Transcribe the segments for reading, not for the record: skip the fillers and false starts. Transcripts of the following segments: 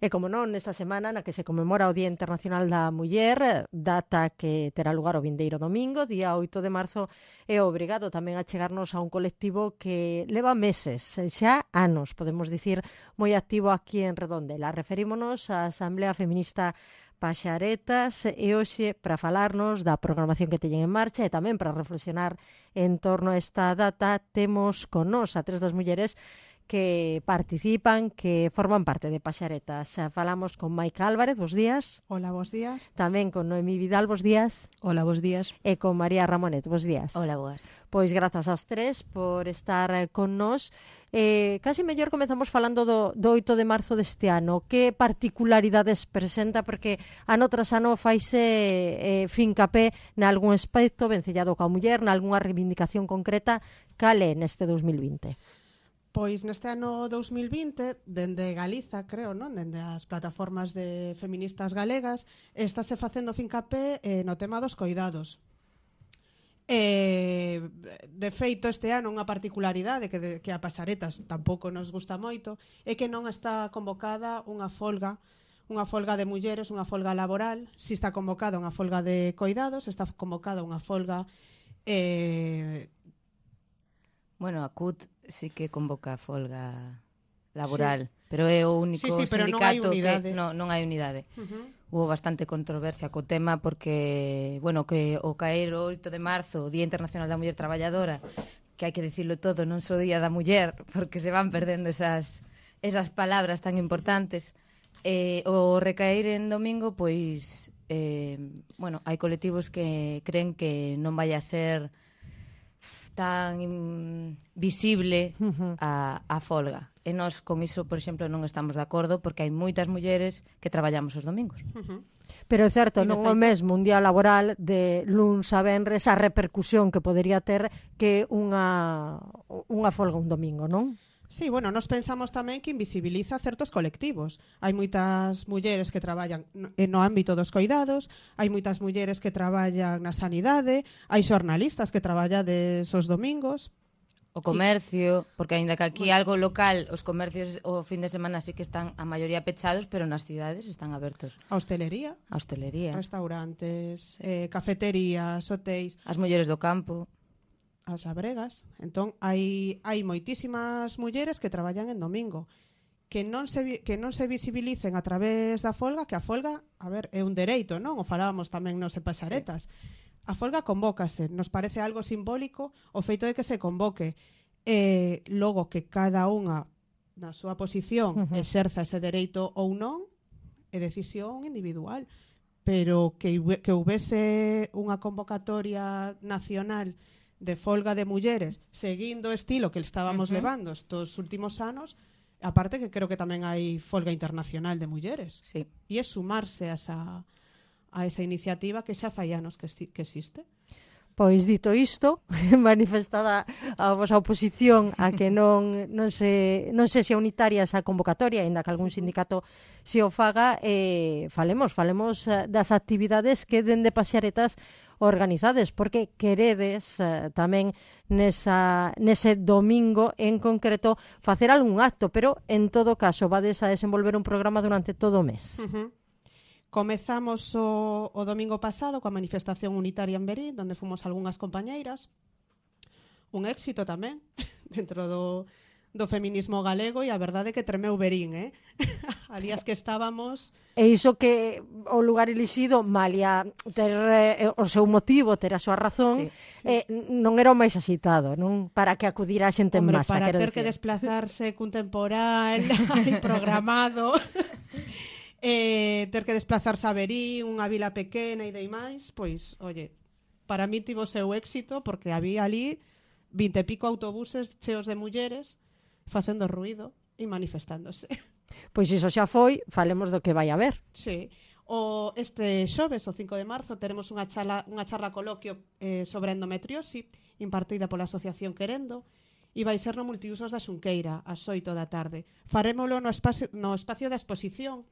E como non, nesta semana na que se conmemora o Día Internacional da Muller, data que terá lugar o vindeiro domingo, día 8 de marzo, é obrigado tamén a chegarnos a un colectivo que leva meses, xa anos, podemos dicir, moi activo aquí en Redondela. Referímonos á Asamblea Feminista Paxaretas e hoxe para falarnos da programación que teñen en marcha e tamén para reflexionar en torno a esta data temos con nós a tres das mulleres que participan, que forman parte de Paxaretas. Falamos con Maica Álvarez, bos días. Hola, bos días. Tamén con Noemí Vidal, bos días. Hola, bos días. E con María Ramonet, bos días. Hola, boas. Pois grazas ás tres por estar con nós. Casi mellor comezamos falando do 8 de marzo deste ano. Que particularidades presenta? Porque ano tras ano faise fincapé nalgún aspecto vencellado coa muller, nalgúna reivindicación concreta. Cal é neste 2020? Pois neste ano 2020, dende Galiza, creo, non? Dende as plataformas de feministas galegas, estáse facendo fincapé no tema dos coidados. De feito, este ano unha particularidade que a Paxaretas tampouco nos gusta moito é que non está convocada unha folga de mulleres, unha folga laboral. Si está convocada unha folga de coidados, está convocada unha folga Bueno, a CUT sí que convoca a folga laboral, sí. Pero é o único sindicato que non hai unidade. Hubo bastante controversia co tema porque, bueno, que o caer o 8 de marzo, o Día Internacional da Muller Traballadora, que hai que dicirlo todo, non só Día da Muller, porque se van perdendo esas palabras tan importantes. O recaer en domingo, pois, bueno, hai colectivos que creen que non vai a ser tan visible a folga. E nós con iso, por exemplo, non estamos de acordo porque hai moitas mulleres que traballamos os domingos. Pero é certo, non o mesmo un día laboral de luns a venres a repercusión que podería ter que unha folga un domingo, non? Sí, bueno, nos pensamos tamén que invisibiliza certos colectivos. Hai moitas mulleres que traballan no ámbito dos coidados, hai moitas mulleres que traballan na sanidade, hai xornalistas que traballan os domingos. O comercio, porque aínda que aquí algo local, os comercios o fin de semana sí que están a maioría pechados, pero nas cidades están abertos. A hostelería, restaurantes, cafeterías, hotéis. As mulleres do campo. As labregas. Entón, hai moitísimas mulleres que traballan en domingo que non se visibilicen a través da folga, que a folga, a ver, é un dereito, non? O falábamos tamén nos en Paxaretas. Sí. A folga convócase, nos parece algo simbólico o feito de que se convoque. Logo que cada unha na súa posición exerza ese dereito ou non, é decisión individual. Pero que houvese unha convocatoria nacional de folga de mulleres, seguindo o estilo que estábamos levando estos últimos anos, aparte que creo que tamén hai folga internacional de mulleres. Sí. E é sumarse a esa iniciativa que xa fai anos que existe. Pois dito isto, manifestada a vosa oposición a que non se xa unitaria esa convocatoria, ainda que algún sindicato se o faga, falemos das actividades que dende Paxaretas organizades, porque queredes tamén nese domingo en concreto facer algún acto, pero en todo caso vades a desenvolver un programa durante todo o mes. Comezamos o domingo pasado coa manifestación unitaria en Verín, onde fomos algunhas compañeiras. Un éxito tamén dentro do feminismo galego, e a verdade é que tremeu Verín, ali as que estábamos. E iso que o lugar elixido, malia ter o seu motivo, ter a súa razón, non era o máis axitado, non? Para que acudira a xente en masa. Para ter que desplazarse cun temporal programado, ter que desplazarse a Verín, unha vila pequena e demais, pois, oye, para mí tivo seu éxito, porque había ali 20 e pico autobuses cheos de mulleres facendo ruido e manifestándose. Pois iso xa foi, falemos do que vai haber. Sí. Este xoves, o 5 de marzo, teremos unha charla coloquio sobre endometriosi impartida pola Asociación Querendo, e vai ser no multiusos da Xunqueira ás 8 da tarde. Farémolo no espacio da exposición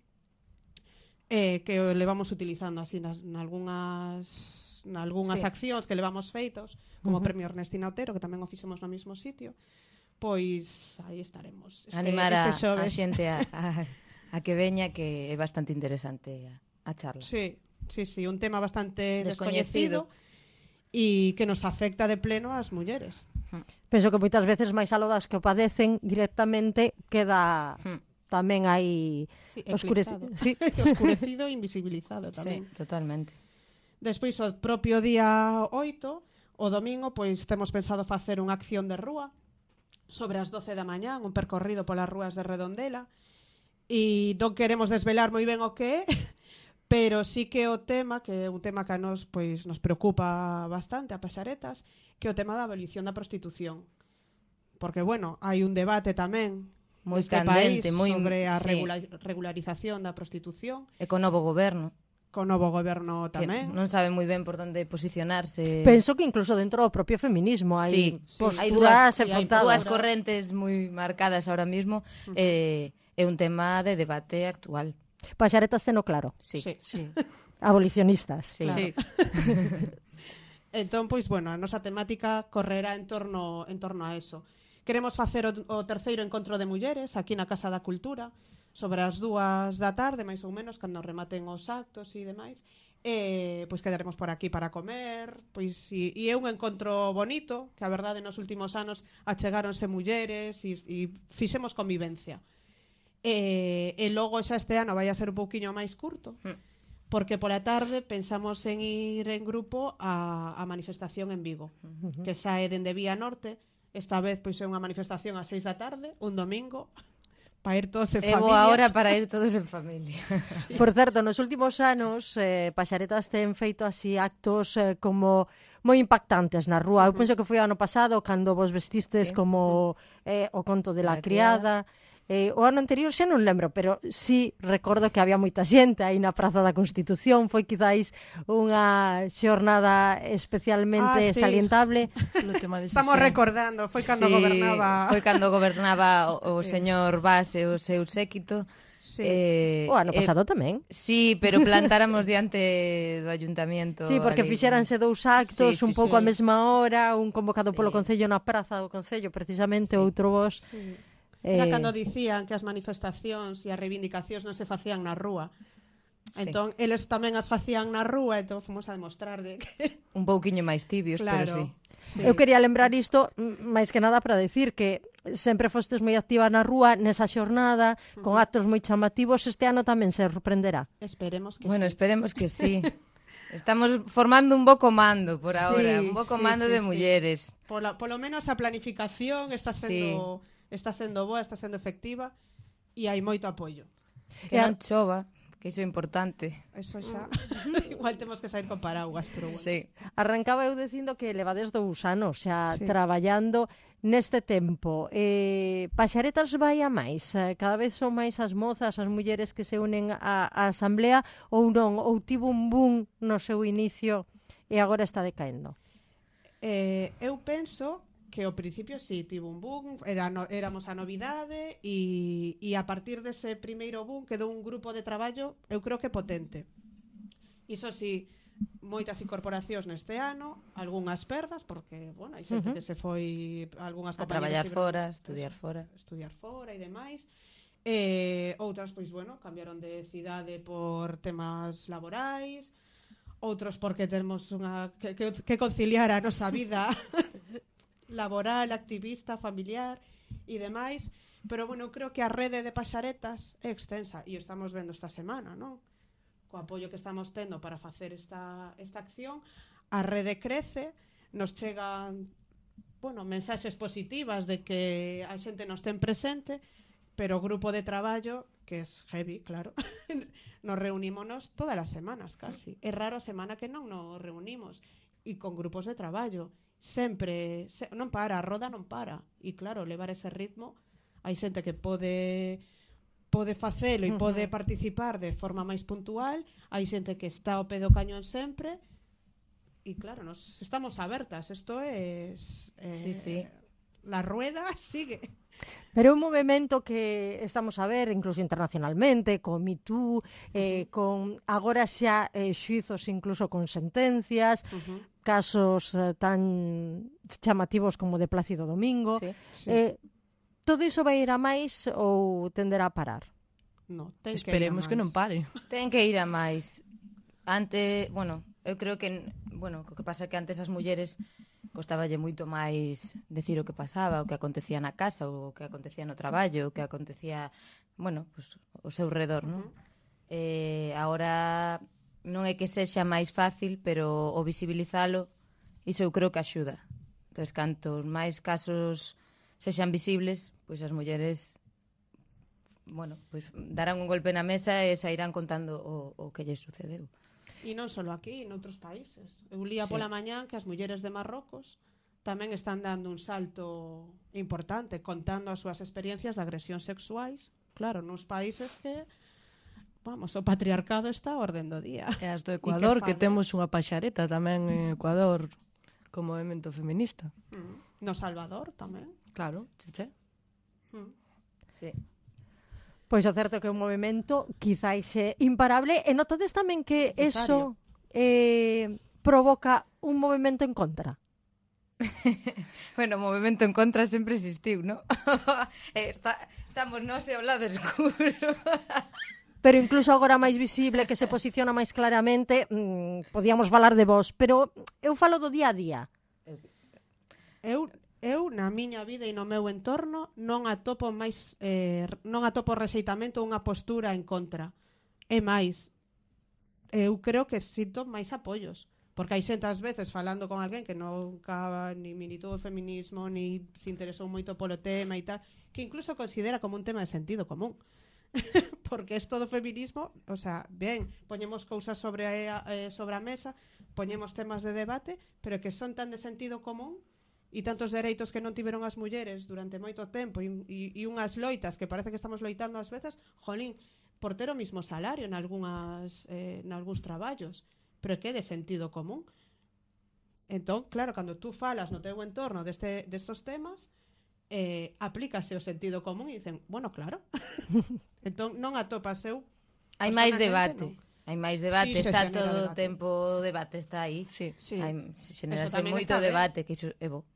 que levamos utilizando así nalgúnas accións que levamos feitos, como o Premio Ernestina Otero, que tamén o fixemos no mesmo sitio. Pois aí estaremos. Animar a xente a a que veña, que é bastante interesante a charla. Sí, un tema bastante descoñecido e que nos afecta de pleno ás mulleres. Penso que moitas veces máis aló das que o padecen directamente queda tamén aí oscurecido e invisibilizado tamén. Sí, totalmente. Despois, o propio día 8, o domingo, pois temos pensado facer unha acción de rúa sobre as 12 da mañá, un percorrido polas rúas de Redondela, e non queremos desvelar moi ben o que é, pero sí que o tema, que é un tema que a nos, pois, nos preocupa bastante a Paxaretas, que é o tema da abolición da prostitución. Porque, bueno, hai un debate tamén moi neste candente, país sobre a regularización da prostitución. E co novo goberno. Co novo goberno tamén. Que non sabe moi ben por onde posicionarse. Penso que incluso dentro do propio feminismo hai posturas enfrontadas. Hai dúas correntes moi marcadas ahora mismo. É un tema de debate actual. Paxaretas teno claro. Sí. Abolicionistas. Sí. Claro. Sí. Entón, pois, bueno, a nosa temática correrá en torno a eso. Queremos facer o terceiro encontro de mulleres aquí na Casa da Cultura sobre as 2 da tarde, máis ou menos, cando rematen os actos e demais. Pois quedaremos por aquí para comer, pois e é un encontro bonito, que a verdade nos últimos anos achegáronse mulleres e fixemos convivencia. E logo xa este ano vai a ser un pouquiño máis curto, porque pola tarde pensamos en ir en grupo a manifestación en Vigo, que sae dende Vía Norte. Esta vez pois é unha manifestación ás 6 da tarde, un domingo, para ir todos en familia. É boa hora para ir todos en familia. Sí. Por certo, nos últimos anos Paxaretas ten feito así actos como moi impactantes na rúa. Eu penso que foi ano pasado cando vos vestistes como o conto de la criada. O ano anterior xa non lembro, pero sí recordo que había moita xente aí na Praza da Constitución. Foi quizáis unha xornada especialmente salientable. Estamos recordando, foi cando gobernaba... Foi cando gobernaba o señor Vaz e o seu séquito. Sí. O ano pasado tamén. Sí, pero plantáramos diante do ayuntamiento. Sí, porque fixéranse 2 actos un pouco a mesma hora, un convocado polo Concello na Praza do Concello, precisamente, outro vos... Sí. Era cando dicían que as manifestacións e as reivindicacións non se facían na rúa. Entón, eles tamén as facían na rúa, entón fomos a demostrar de que... Un pouquiño máis tibios, claro, pero sí. Eu quería lembrar isto, máis que nada para decir que sempre fostes moi activa na rúa nesa xornada, con actos moi chamativos. Este ano tamén se sorprenderá. Esperemos que bueno, sí. Esperemos que sí. Estamos formando un bo comando por ahora, un bo comando de mulleres. Polo menos a planificación está sendo... Está sendo boa, está sendo efectiva e hai moito apoio. Que non chova, que iso é importante. Eso xa. Igual temos que sair con paraguas, pero bueno. Sí. Arrancaba eu dicindo que levades 2 anos xa traballando neste tempo. Paxaretas vai a máis? Cada vez son máis as mozas, as mulleres que se unen á asamblea ou non? Ou tivo un boom no seu inicio e agora está decaendo? Eu penso que ao principio sí, tivo un boom, éramos a novidade e a partir dese primeiro boom quedou un grupo de traballo, eu creo que potente. Iso sí, moitas incorporacións neste ano, algunhas perdas, porque, bueno, hai xente que se foi algunhas a traballar fora, estudiar fora e demais. Outras, pois, bueno, cambiaron de cidade por temas laborais, outros porque temos que conciliar a nosa vida laboral, activista, familiar e demais, pero bueno, eu creo que a rede de Paxaretas é extensa e o estamos vendo esta semana, non? Co apoio que estamos tendo para facer esta acción, a rede crece, nos chegan, bueno, mensaxes positivas de que a xente nos ten presente, pero o grupo de traballo, que é heavy, claro, nos reunímonos todas as semanas casi. É raro a semana que non nos reunimos e con grupos de traballo. Sempre, non para, a roda non para. E claro, levar ese ritmo, hai xente que pode facelo e pode participar de forma máis puntual, hai xente que está ao pé do cañón sempre, e claro, nos estamos abertas. Isto é... sí. La rueda sigue. Pero é un movimento que estamos a ver incluso internacionalmente, con Me Too, con agora xa xuizos incluso con sentencias, casos tan chamativos como de Plácido Domingo. Sí. Todo iso vai ir a máis ou tenderá a parar? No, esperemos que non pare. Ten que ir a máis. Antes, bueno, eu creo que, bueno, o que pasa é que antes as mulleres costaballe moito máis decir o que pasaba, o que acontecía na casa, o que acontecía no traballo, o que acontecía, bueno, pues, ao seu redor, non? Agora non é que sexa máis fácil, pero o visibilizalo, iso eu creo que axuda. Entón, cantos máis casos sexan visibles, pois as mulleres, bueno, pois darán un golpe na mesa e sairán contando o que lles sucedeu. E non só aquí, noutros países. Eu lía pola mañán que as mulleres de Marrocos tamén están dando un salto importante, contando as súas experiencias de agresión sexuais. Claro, nos países que, vamos, o patriarcado está a orden do día. E as do Ecuador, que temos unha paxareta tamén en Ecuador como movimento feminista. No Salvador tamén. Claro, cheche. Sí. Pois o certo é que é un movimento quizáis imparable, e notades tamén que eso provoca un movimento en contra. Bueno, o movimento en contra sempre existiu, non? Estamos nós e ao lado escuro. Pero incluso agora máis visible, que se posiciona máis claramente, podíamos falar de vos, pero eu falo do día a día. Eu, na miña vida e no meu entorno, non atopo rexeitamento ou unha postura en contra. É máis, eu creo que sinto máis apoios. Porque hai xente ás veces falando con alguén que nunca ni militou o feminismo, ni se interesou moito polo tema e tal, que incluso considera como un tema de sentido común. Porque isto do feminismo, o sea, ben, poñemos cousas sobre a mesa, poñemos temas de debate, pero que son tan de sentido común e tantos dereitos que non tiveron as mulleres durante moito tempo e unhas loitas que parece que estamos loitando ás veces, jolín, por ter o mismo salario nalgúns traballos, pero que é de sentido común. Entón, claro, cando tú falas no teu entorno destos temas, aplícase o sentido común e dicen, bueno, claro. Entón, non atopas eu. Hai máis debate. Non. Hai máis debate, sí, está todo o tempo o debate está aí. Sí. Xenerase moito debate, que iso é bo.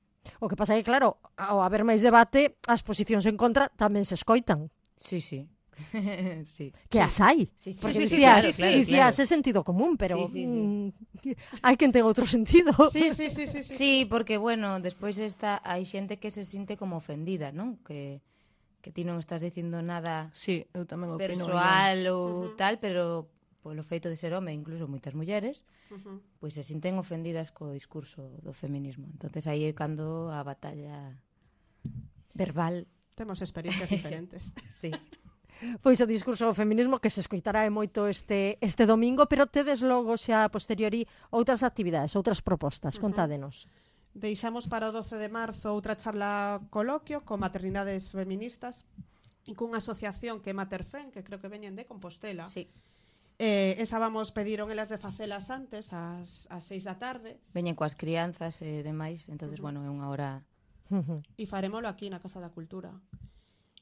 O que pasa é que, claro, ao haber máis debate, as posicións en contra tamén se escoitan. Sí. Sí. Que as hai. Sí. Porque dicías é sentido común, pero hai quen ten outro sentido. Sí, porque, bueno, despois hai xente que se sinte como ofendida, non? Que ti non estás dicindo nada eu tamén opino persoal ou tal, pero polo feito de ser home, incluso moitas mulleres, pois se sinten ofendidas co discurso do feminismo. Entonces aí é cando a batalla verbal. Temos experiencias diferentes. Sí. Pois o discurso do feminismo que se escoitará moito este domingo, pero tedes logo xa a posteriori outras actividades, outras propostas, contádenos. Deixamos para o 12 de marzo outra charla coloquio con maternidades feministas e cunha asociación que é Materfen, que creo que veñen de Compostela. Sí. Esa pediron elas de facelas antes, ás 6 da tarde. Veñen coas crianzas e demais, entonces, bueno, é unha hora... E farémolo aquí na Casa da Cultura.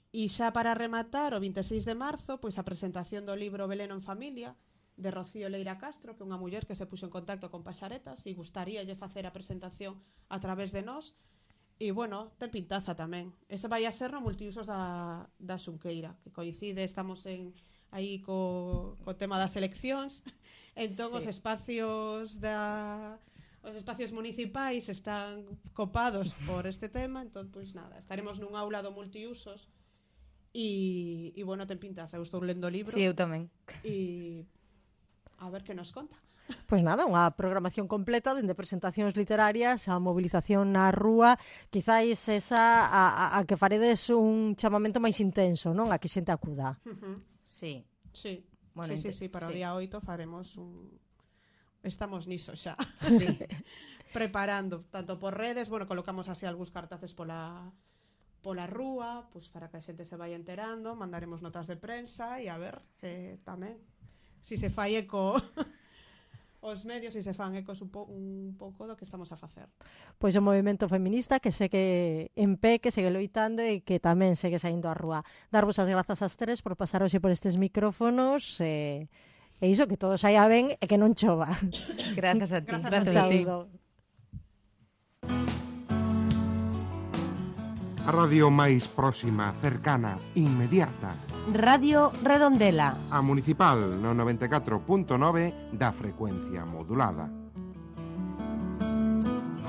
E xa para rematar, o 26 de marzo, pois a presentación do libro Beleno en Familia, de Rocío Leira Castro, que é unha muller que se puxo en contacto con Paxaretas e gustaríalle facer a presentación a través de nós. E, bueno, ten pintaza tamén. Ese vai a ser no multiusos da Xunqueira, que coincide, estamos aí co tema das eleccións. Entón, os espacios municipais están copados por este tema. Entón, pois nada, estaremos nun aula do multiusos e bueno, ten pintaza. Eu estou lendo o libro. Sí, eu tamén. E a ver que nos conta. Pois nada, unha programación completa dende presentacións literarias a movilización na rúa, quizáis esa a que faredes un chamamento máis intenso, non? A que xente acuda. Sí. Bueno, sí, para o día 8 faremos estamos niso xa. Sí. Preparando, tanto por redes, bueno, colocamos así algúns cartaces pola rúa, pues para que a xente se vaya enterando, mandaremos notas de prensa e a ver, tamén, si se fai eco os medios e se fan ecos un pouco do que estamos a facer. Pois o movimento feminista que segue en pé, que segue loitando e que tamén segue saindo á rúa. Darvos as grazas ás tres por pasar hoxe por estes micrófonos e iso, que todo saia ben e que non chova. Grazas a ti. Grazas a ti. A radio máis próxima, cercana, inmediata. Radio Redondela. A municipal no 94.9 da frecuencia modulada.